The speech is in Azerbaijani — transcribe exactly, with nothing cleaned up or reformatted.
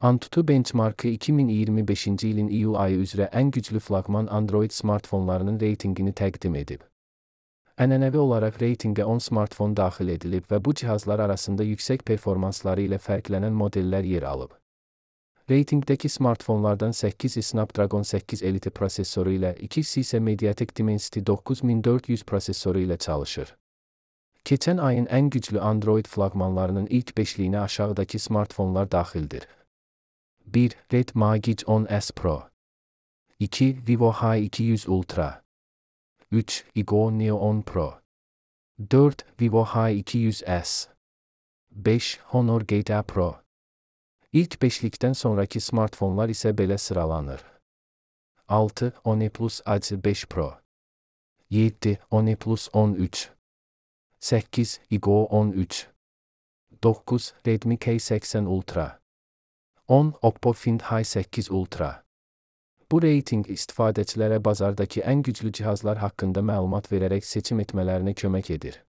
Antutu Benchmark'ı iki min iyirmi beşinci ilin iyul ayı üzrə ən güclü flaqman Android smartfonlarının reytingini təqdim edib. Ənənəvi olaraq reytinqə on smartfon daxil edilib və bu cihazlar arasında yüksək performansları ilə fərqlənən modellər yer alıb. Reytingdəki smartfonlardan səkkizi Snapdragon səkkiz Elite prosessoru ilə, ikisi isə Mediatek Dimensity doqquz min dörd yüz prosessoru ilə çalışır. Keçən ayın ən güclü Android flaqmanlarının ilk beşliyinə aşağıdakı smartfonlar daxildir. bir. Redmi Gig on S Pro. iki. Vivo H iki yüz Ultra. üç. Igo Neo on Pro. dört. Vivo H iki yüz S. beş. Honor Gate A Pro. İlk beşlikdən sonraki smartfonlar isə belə sıralanır. altı. OnePlus A C beş Pro. yeddi. OnePlus on üç. səkkiz. Igo on üç. doqquz. Redmi K səksən Ultra. on. Oppo Find H səkkiz Ultra. Bu reyting istifadəçilərə bazardakı ən güclü cihazlar haqqında məlumat verərək seçim etmələrinə kömək edir.